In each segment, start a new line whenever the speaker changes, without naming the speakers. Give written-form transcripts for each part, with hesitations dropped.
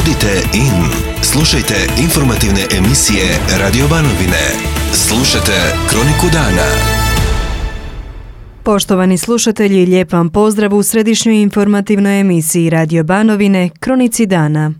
Budite in. Slušajte informativne emisije Radio Banovine. Slušajte Kroniku dana.
Poštovani slušatelji, lijep vam pozdrav u središnjoj informativnoj emisiji Radio Banovine, Kronici dana.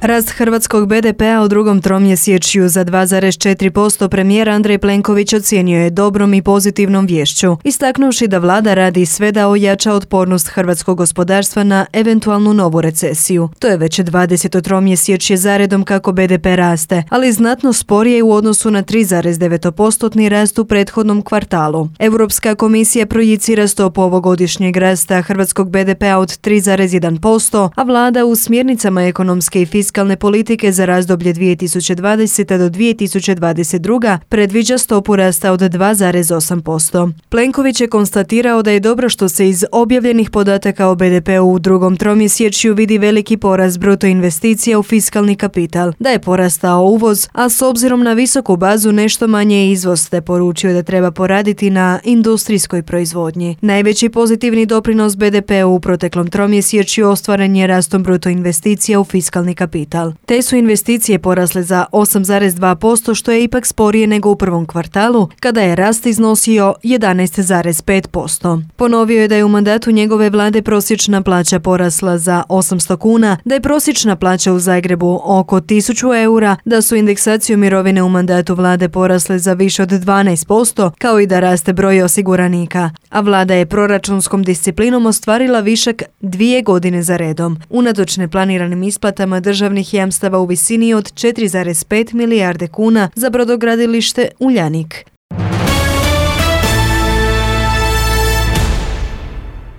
Rast hrvatskog BDP-a u drugom tromjesečju za 2,4% premijer Andrej Plenković ocijenio je dobrom i pozitivnom viješću, istaknuvši da vlada radi sve da ojača otpornost hrvatskog gospodarstva na eventualnu novu recesiju. To je već 20. tromjesečje zaredom kako BDP raste, ali znatno sporije u odnosu na 3,9% rast u prethodnom kvartalu. Europska komisija projicira stopu ovogodišnjeg rasta hrvatskog BDP-a od 3,1%, a vlada u smjernicama ekonomske i fiskalne politike za razdoblje 2020. do 2022. predviđa stopu rasta od 2,8%. Plenković je konstatirao da je dobro što se iz objavljenih podataka o BDP-u u drugom tromjesečju vidi veliki porast bruto investicija u fiskalni kapital, da je porastao uvoz, a s obzirom na visoku bazu nešto manje izvoz, te poručio da treba poraditi na industrijskoj proizvodnji. Najveći pozitivni doprinos BDP-u u proteklom tromjesečju ostvaren je rastom bruto investicija u fiskalni kapital. Te su investicije porasle za 8,2%, što je ipak sporije nego u prvom kvartalu, kada je rast iznosio 11,5%. Ponovio je da je u mandatu njegove vlade prosječna plaća porasla za 800 kuna, da je prosječna plaća u Zagrebu oko 1000 eura, da su indeksaciju mirovine u mandatu vlade porasle za više od 12%, kao i da raste broj osiguranika. A vlada je proračunskom disciplinom ostvarila višak 2 godine za redom, unatoč neplaniranim isplatama državnih jamstava u visini od 4,5 milijarde kuna za brodogradilište Uljanik.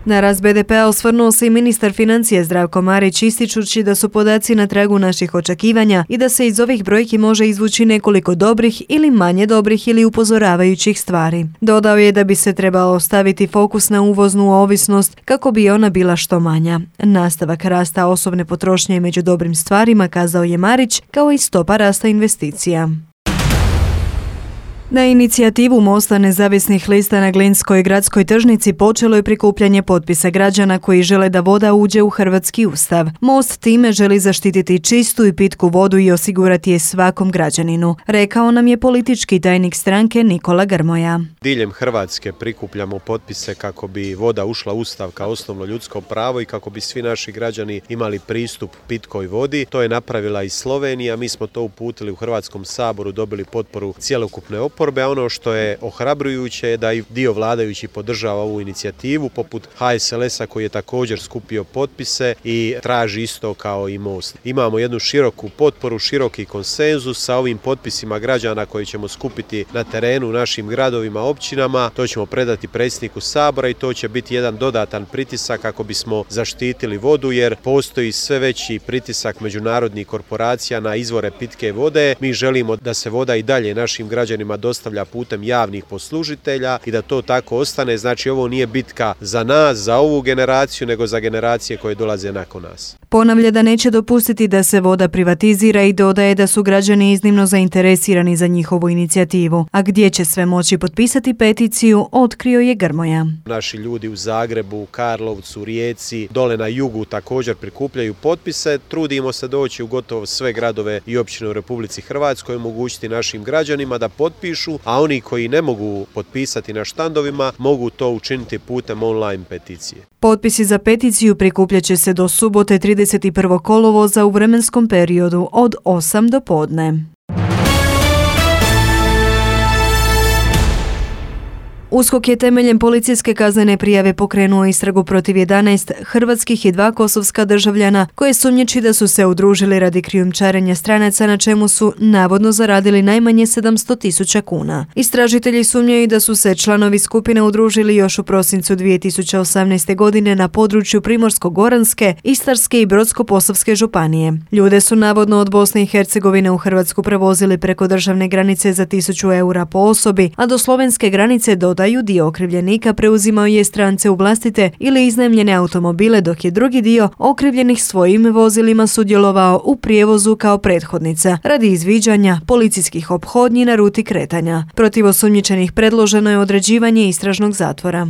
Na rast BDP-a osvrnuo se i ministar financija Zdravko Marić, ističući da su podaci na tragu naših očekivanja i da se iz ovih brojki može izvući nekoliko dobrih ili manje dobrih ili upozoravajućih stvari. Dodao je da bi se trebalo staviti fokus na uvoznu ovisnost kako bi ona bila što manja. Nastavak rasta osobne potrošnje je među dobrim stvarima, kazao je Marić, kao i stopa rasta investicija. Na inicijativu Mosta nezavisnih lista na Glinskoj gradskoj tržnici počelo je prikupljanje potpisa građana koji žele da voda uđe u hrvatski ustav. Most time želi zaštititi čistu i pitku vodu i osigurati je svakom građaninu, rekao nam je politički tajnik stranke Nikola Grmoja.
Diljem Hrvatske prikupljamo potpise kako bi voda ušla u ustav kao osnovno ljudsko pravo i kako bi svi naši građani imali pristup pitkoj vodi. To je napravila i Slovenija, mi smo to uputili u Hrvatskom saboru, dobili potporu cjelokupne oporbe. A ono što je ohrabrujuće je da i dio vladajući podržava ovu inicijativu, poput HSLS-a koji je također skupio potpise i traži isto kao i Most. Imamo jednu široku potporu, široki konsenzus sa ovim potpisima građana koji ćemo skupiti na terenu u našim gradovima, općinama. To ćemo predati predsjedniku Sabora i to će biti jedan dodatan pritisak kako bismo zaštitili vodu, jer postoji sve veći pritisak međunarodnih korporacija na izvore pitke vode. Mi želimo da se voda i dalje našim građanima dostavlja putem javnih poslužitelja i da to tako ostane. Znači, ovo nije bitka za nas, za ovu generaciju, nego za generacije koje dolaze nakon nas.
Ponavlja da neće dopustiti da se voda privatizira i dodaje da su građani iznimno zainteresirani za njihovu inicijativu. A gdje će sve moći potpisati peticiju, otkrio je Grmoja.
Naši ljudi u Zagrebu, Karlovcu, Rijeci, dole na jugu također prikupljaju potpise. Trudimo se doći u gotovo sve gradove i općine u Republici Hrvatskoj, omogućiti našim građanima da potpišu, a oni koji ne mogu potpisati na štandovima mogu to učiniti putem online peticije.
Potpisi za peticiju prikupljat će se do subote 31. kolovoza u vremenskom periodu od 8 do podne. USKOK je temeljem policijske kaznene prijave pokrenuo istragu protiv 11 hrvatskih i 2 kosovska državljana koje sumnjiči da su se udružili radi krijumčarenja stranaca, na čemu su navodno zaradili najmanje 700.000 kuna. Istražitelji sumnjaju da su se članovi skupine udružili još u prosincu 2018. godine na području Primorsko-goranske, Istarske i Brodsko-posavske županije. Ljude su navodno od Bosne i Hercegovine u Hrvatsku prevozili preko državne granice za 1000 eura po osobi, a do slovenske granice dodaju dio okrivljenika preuzimao je strance u vlastite ili iznajmljene automobile, dok je drugi dio okrivljenih svojim vozilima sudjelovao u prijevozu kao prethodnica radi izviđanja policijskih ophodnji na ruti kretanja. Protiv osumnjičenih predloženo je određivanje istražnog zatvora.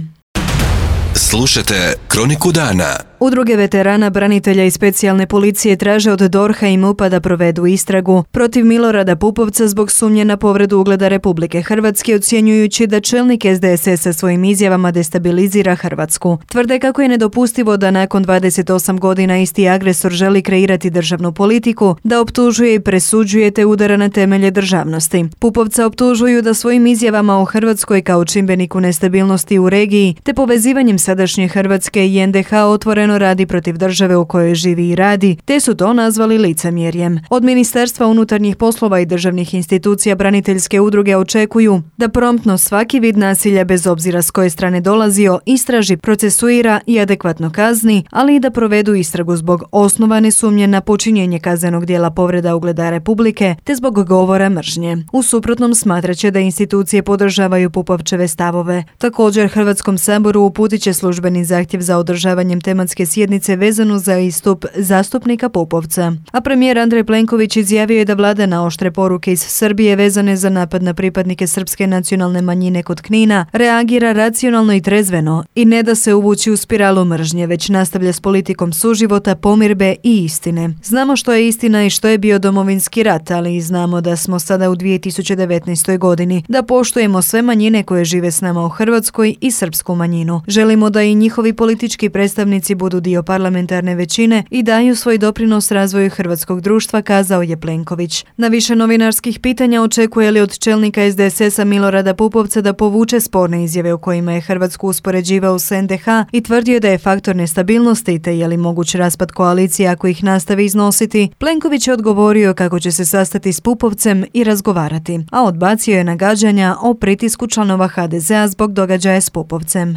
Slušajte Kroniku dana.
Udruge veterana, branitelja i specijalne policije traže od DORH-a i MUP-a da provedu istragu protiv Milorada Pupovca zbog sumnje na povredu ugleda Republike Hrvatske, ocjenjujući da čelnik SDSS-a svojim izjavama destabilizira Hrvatsku. Tvrde kako je nedopustivo da nakon 28 godina isti agresor želi kreirati državnu politiku, da optužuje i presuđuje te udara na temelje državnosti. Pupovca optužuju da svojim izjavama o Hrvatskoj kao čimbeniku nestabilnosti u regiji te povezivanjem sadašnje Hrvatske i NDH otvoreno radi protiv države u kojoj živi i radi, te su to nazvali licemjerjem. Od Ministarstva unutarnjih poslova i državnih institucija braniteljske udruge očekuju da promptno svaki vid nasilja bez obzira s koje strane dolazio istraži, procesuira i adekvatno kazni, ali i da provedu istragu zbog osnovane sumnje na počinjenje kaznenog djela povreda ugleda Republike te zbog govora mržnje. U suprotnom smatraće da institucije podržavaju Pupovčeve stavove. Također Hrvatskom saboru uputit će službeni zahtjev za održavanjem tematske sjednice vezanu za istup zastupnika Pupovca. A premijer Andrej Plenković izjavio je da vlada na oštre poruke iz Srbije vezane za napad na pripadnike srpske nacionalne manjine kod Knina reagira racionalno i trezveno i ne da se uvući u spiralu mržnje, već nastavlja s politikom suživota, pomirbe i istine. Znamo što je istina i što je bio Domovinski rat, ali i znamo da smo sada u 2019. godini, da poštujemo sve manjine koje žive s nama u Hrvatskoj i srpsku manjinu. Želimo da i njihovi politički predstavnici budu dio parlamentarne većine i daju svoj doprinos razvoju hrvatskog društva, kazao je Plenković. Na više novinarskih pitanja očekuje li od čelnika SDSS-a Milorada Pupovca da povuče sporne izjave u kojima je Hrvatsku uspoređivao s NDH i tvrdio da je faktor nestabilnosti te je li moguć raspad koalicije ako ih nastavi iznositi, Plenković je odgovorio kako će se sastati s Pupovcem i razgovarati, a odbacio je nagađanja o pritisku članova HDZ-a zbog događaja s Pupovcem.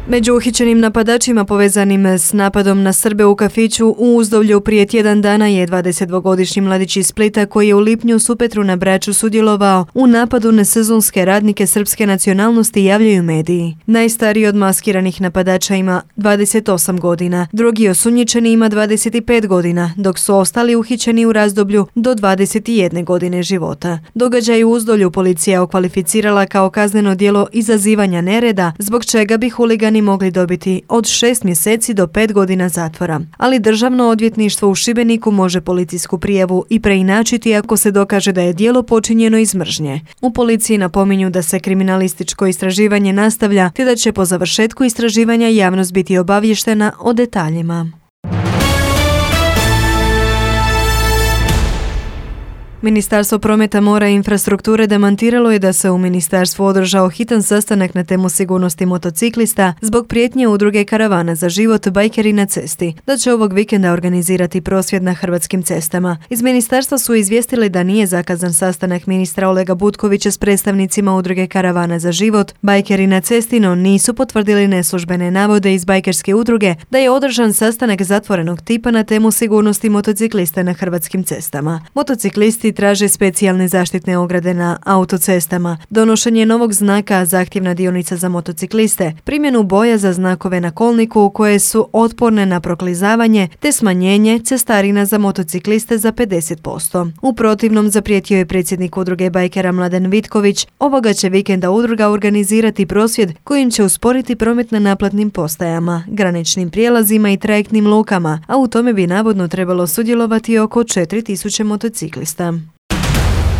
Među uhićenim napadačima povezanim s napadom na Srbe u kafiću u Uzdolju prije tjedan dana je 22-godišnji mladić iz Splita koji je u lipnju u Supetru na Braču sudjelovao u napadu na sezonske radnike srpske nacionalnosti, javljaju mediji. Najstariji od maskiranih napadača ima 28 godina, drugi osumnjičeni ima 25 godina, dok su ostali uhićeni u razdoblju do 21 godine života. Događaj u Uzdolju policija okvalificirala kao kazneno djelo izazivanja nereda, zbog čega bi huligani mogli dobiti od 6 mjeseci do 5 godina zatvora. Ali Državno odvjetništvo u Šibeniku može policijsku prijavu i preinačiti ako se dokaže da je djelo počinjeno iz mržnje. U policiji napominju da se kriminalističko istraživanje nastavlja te da će po završetku istraživanja javnost biti obavještena o detaljima. Ministarstvo prometa, mora i infrastrukture demantiralo je da se u ministarstvu održao hitan sastanak na temu sigurnosti motociklista zbog prijetnje udruge Karavana za život Bajkeri na cesti, da će ovog vikenda organizirati prosvjed na hrvatskim cestama. Iz ministarstva su izvijestili da nije zakazan sastanak ministra Olega Butkovića s predstavnicima udruge Karavana za život Bajkeri na cesti, no nisu potvrdili neslužbene navode iz bajkerske udruge da je održan sastanak zatvorenog tipa na temu sigurnosti motociklista na hrvatskim cestama. Motociklisti traže specijalne zaštitne ograde na autocestama, donošenje novog znaka zahtjevna dionica za motocikliste, primjenu boja za znakove na kolniku koje su otporne na proklizavanje te smanjenje cestarina za motocikliste za 50%. U protivnom, zaprijetio je predsjednik udruge bajkera Mladen Vitković, ovoga će vikenda udruga organizirati prosvjed kojim će usporiti promet na naplatnim postajama, graničnim prijelazima i trajektnim lukama, a u tome bi navodno trebalo sudjelovati oko 4000 motociklista.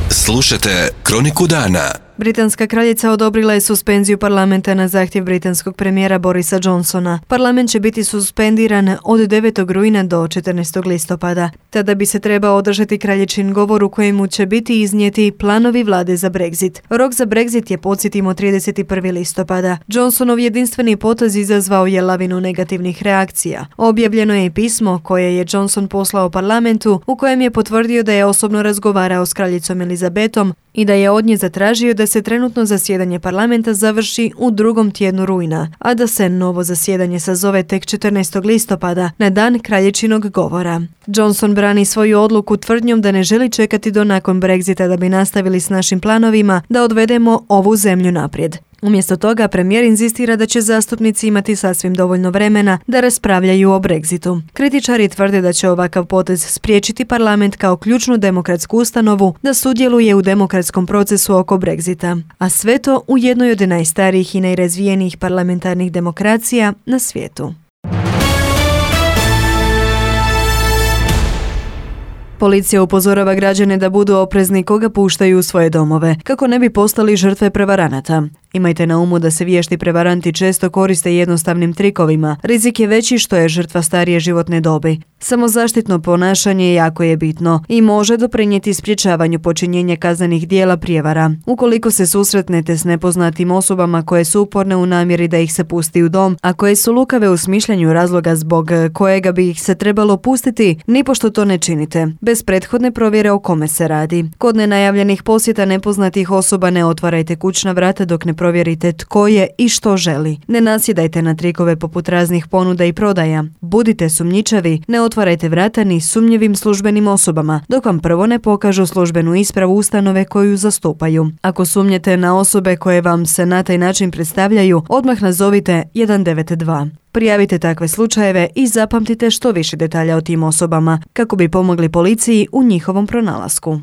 Slušajte Kroniku dana.
Britanska kraljica odobrila je suspenziju parlamenta na zahtjev britanskog premijera Borisa Johnsona. Parlament će biti suspendiran od 9. rujna do 14. listopada. Tada bi se trebao održati kraljičin govor u kojemu će biti iznijeti planovi vlade za Brexit. Rok za Brexit je, podsjetimo, 31. listopada. Johnsonov jedinstveni potez izazvao je lavinu negativnih reakcija. Objavljeno je i pismo koje je Johnson poslao parlamentu u kojem je potvrdio da je osobno razgovarao s kraljicom Elizabetom i da je od nje zatražio da se trenutno zasjedanje parlamenta završi u drugom tjednu rujna, a da se novo zasjedanje sazove tek 14. listopada na dan kraljičinog govora. Johnson brani svoju odluku tvrdnjom da ne želi čekati do nakon Brexita da bi nastavili s našim planovima da odvedemo ovu zemlju naprijed. Umjesto toga, premijer inzistira da će zastupnici imati sasvim dovoljno vremena da raspravljaju o Brexitu. Kritičari tvrde da će ovakav potez spriječiti parlament kao ključnu demokratsku ustanovu da sudjeluje u demokratskom procesu oko Brexita, a sve to u jednoj od najstarijih i najrazvijenijih parlamentarnih demokracija na svijetu. Policija upozorava građane da budu oprezni koga puštaju u svoje domove, kako ne bi postali žrtve prevaranata. Imajte na umu da se vješti prevaranti često koriste jednostavnim trikovima. Rizik je veći što je žrtva starije životne dobi. Samozaštitno ponašanje jako je bitno i može doprinijeti sprječavanju počinjenja kaznenih djela prijevara. Ukoliko se susretnete s nepoznatim osobama koje su uporne u namjeri da ih se pusti u dom, a koje su lukave u smišljanju razloga zbog kojega bi ih se trebalo pustiti, nipošto to ne činite, bez prethodne provjere o kome se radi. Kod nenajavljenih posjeta nepoznatih osoba ne otvarajte kućna vrata dok ne provjerite tko je i što želi. Ne nasjedajte na trikove poput raznih ponuda i prodaja. Budite sumnjičavi, ne otvarajte vrata ni sumnjivim službenim osobama, dok vam prvo ne pokažu službenu ispravu ustanove koju zastupaju. Ako sumnjete na osobe koje vam se na taj način predstavljaju, odmah nazovite 192. Prijavite takve slučajeve i zapamtite što više detalja o tim osobama, kako bi pomogli policiji u njihovom pronalasku.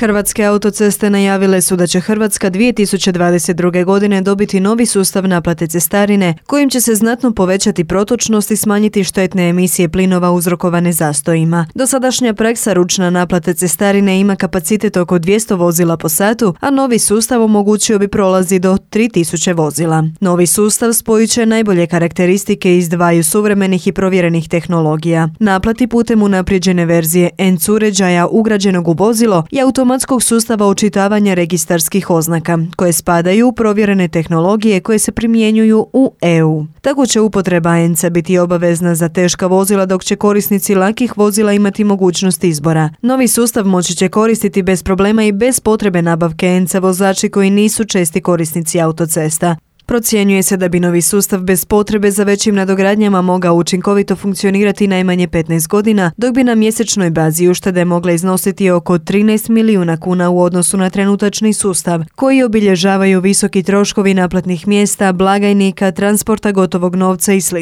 Hrvatske autoceste najavile su da će Hrvatska 2022. godine dobiti novi sustav naplate cestarine kojim će se znatno povećati protočnost i smanjiti štetne emisije plinova uzrokovane zastojima. Dosadašnja praksa ručna naplate cestarine ima kapacitet oko 200 vozila po satu, a novi sustav omogućio bi prolazi do 3000 vozila. Novi sustav spojit će najbolje karakteristike iz dvaju suvremenih i provjerenih tehnologija. Naplati putem unaprijeđene verzije ENC uređaja ugrađenog u vozilo i automatskog sustava očitavanja registarskih oznaka, koje spadaju u provjerene tehnologije koje se primjenjuju u EU. Tako će upotreba ENC-a biti obavezna za teška vozila, dok će korisnici lakih vozila imati mogućnost izbora. Novi sustav moći će koristiti bez problema i bez potrebe nabavke ENC-a vozači koji nisu česti korisnici autocesta. Procjenjuje se da bi novi sustav bez potrebe za većim nadogradnjama mogao učinkovito funkcionirati najmanje 15 godina, dok bi na mjesečnoj bazi uštede mogle iznositi oko 13 milijuna kuna u odnosu na trenutačni sustav, koji obilježavaju visoki troškovi naplatnih mjesta, blagajnika, transporta gotovog novca i sl.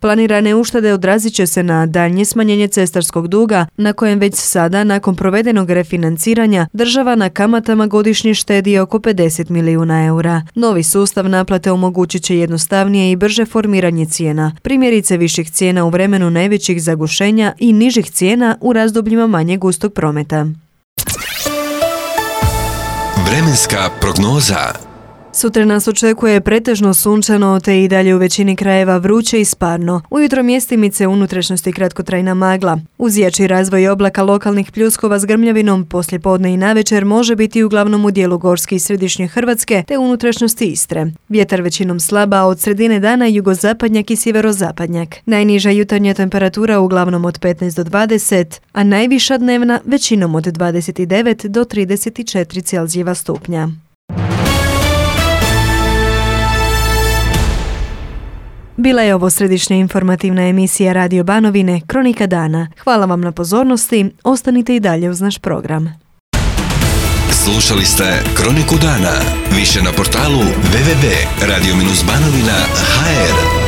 Planirane uštede odrazit će se na daljnje smanjenje cestarskog duga, na kojem već sada, nakon provedenog refinanciranja, država na kamatama godišnje štedi oko 50 milijuna eura. Novi sustav naplate omogućit će jednostavnije i brže formiranje cijena, primjerice viših cijena u vremenu najvećih zagušenja i nižih cijena u razdobljima manje gustog prometa.
Vremenska prognoza.
Sutra nas očekuje pretežno sunčano te i dalje u većini krajeva vruće i sparno. Ujutro mjestimice unutrašnjosti kratkotrajna magla. Uz jači razvoj oblaka lokalnih pljuskova s grmljavinom poslijepodne i navečer može biti uglavnom u dijelu Gorske i središnje Hrvatske te unutrašnjosti Istre. Vjetar većinom slaba, a od sredine dana jugozapadnjak i sjeverozapadnjak. Najniža jutarnja temperatura uglavnom od 15 do 20, a najviša dnevna većinom od 29 do 34 Celzijeva stupnja. Bila je ovo središnja informativna emisija Radio Banovine, Kronika dana. Hvala vam na pozornosti, ostanite i dalje uz naš program.
Slušali ste Kroniku dana. Više na portalu www.radio-banovina.hr.